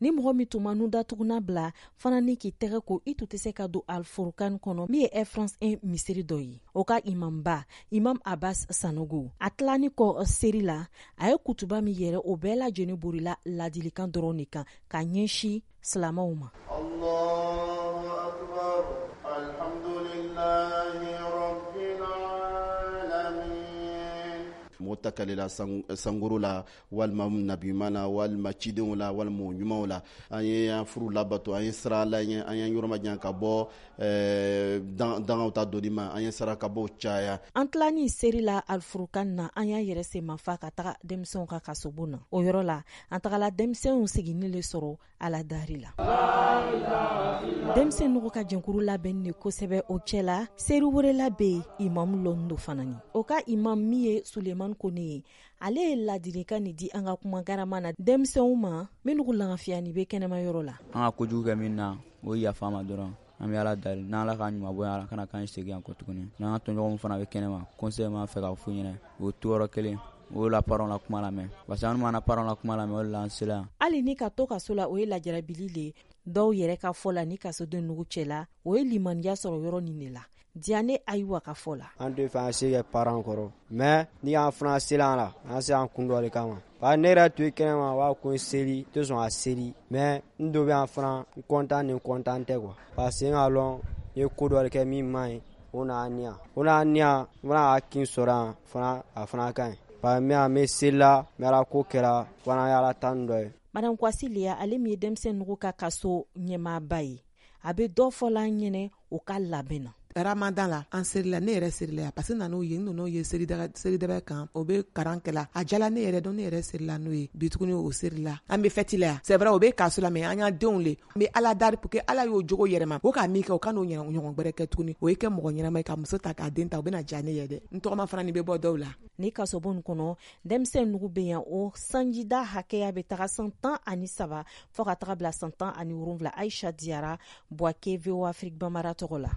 Ni mɔgɔ min tun ma nun datuguna bila fana ni k'i tɛgɛ ko, i tun tɛ se ka don Alfurukan kɔnɔ, min ye Air France 1 misiri dɔ ye. O ka imamba, Imam Abbas Sanogo, a tilani kɔ seri la, a ye kutuba min yɛrɛ, o bɛɛ lajɛlen borila ladilikan dɔrɔn de kan ka ɲɛsin silamaw ma. Mɔgɔ ta kalila sankoro la, walima nabiɲuman na, walima cidenw la, walima mɔgɔ ɲumanw la. An ye an furu labato, an ye sira ala ɲɛ, an ye yɔrɔ majan ka bɔ dangaw ta doni ma, an ye sarakabɔw caya. An tilani seri la Alfurukan na, an y'an yɛrɛ senmafa ka taga denmisɛnw ka kasobon na. O yɔrɔ la, an tagala denmisɛnw siginin le sɔrɔ ala dari la. Denmisɛn nugu ka jɛnkuru labɛn de kosɛbɛ. O cɛla, seri wɛrɛ bɛ yen, imamu lɔn do fana ni o ka imam min ye Suleiman Kone ye, ale ye ladilikan nin di an ka kuma garama na denmisɛnw ma minnu lagafiyani bɛ kɛnɛma yɔrɔ la. An ka kojugu kɛ min na, o ye yafa ma dɔrɔn. An bɛ ala dali, n'ala ka ɲuman bɔ ala kana k'an segin yan kɔ tuguni. N'an ka tɔɲɔgɔnw fana bɛ kɛnɛma, conseil m'a fɛ k'a f'u ɲɛna, o to yɔrɔ kelen, o la parents la kuma lamɛn, parce que an mana parents la kuma lamɛn, o de la an sera yan. Hali ni ka to kaso la, o ye lajarabili le. Dɔw yɛrɛ ka fɔ la, ni kasoden nugu cɛla, o ye limaniya sɔrɔ yɔrɔ nin de la. Diane ayiwa ka fɔ la: An tɛ fɛ an se kɛ parents kɔrɔ, mais ni an fana sera an la, an sera an kun dɔ de kama, parce que ne yɛrɛ to kɛnɛma, u b'a ko n seli tɛ sɔn ka seli, mais n dɔ bɛ yan fana, n content ni content tɛ quoi, parce que n k'a lɔn n ye ko dɔ de kɛ min man ɲi, o nana ni yan, o nana ni yan, n fana ka kin sɔrɔ yan fana, a fana ka ɲi, parce que n bɛ yan, n bɛ seli la, n bɛ ala ko kɛra fana, ye ala tanu dɔ ye. Madame Kwasi Leya, ale min ye denmisɛn nugu ka kaso ɲɛmaaba ye, a bɛ dɔ fɔla an ɲɛnɛ o ka labɛn na. Ramadan la, an serila, ne yɛrɛ serila yan, parce que nan'o ye, n nan'o ye seridaba kan, o bɛ karan kɛla, a jala ne yɛrɛ dɔn, ne yɛrɛ serila n'o ye bi tuguni, o serila, an bɛ fɛti la yan. C'est vrai, o bɛ kaso la, mais an y'a denw le, n bɛ ala dari pour que ala y'o jogo yɛrɛma, o k'a min kɛ, o ka n'o ɲɔgɔn gbɛrɛ kɛ tuguni, o ye kɛ mɔgɔ ɲɛnama ye, ka muso ta, k'a den ta, o bɛna diya ne ye dɛ. N tɔgɔma fana nin bɛ bɔ dɔw la. Ni kasobon kɔnɔ, denmisɛn nugu bɛ yan, o sanjida hakɛya bɛ taga san 13 fɔɔ ka taga bila san 17. Aisha Diyara, Buwake, VOA Afrique Bambara tɔgɔ la.